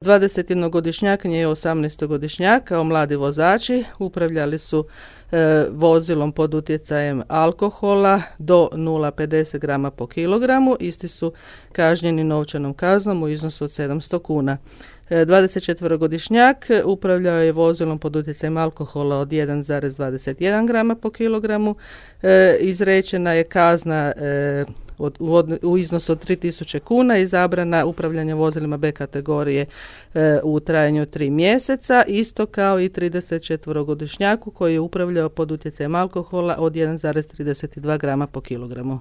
21-godišnjak nije 18-godišnjak kao mladi vozači upravljali su vozilom pod utjecajem alkohola do 0,50 grama po kilogramu. Isti su kažnjeni novčanom kaznom u iznosu od 700 kuna. 24-godišnjak upravljao je vozilom pod utjecajem alkohola od 1,21 grama po kilogramu. Izrečena je kazna u iznosu od 3000 kuna i zabrana upravljanja vozilima B kategorije u trajanju od 3 mjeseca, isto kao i 34-godišnjaku koji je upravljao pod utjecajem alkohola od 1,32 grama po kilogramu.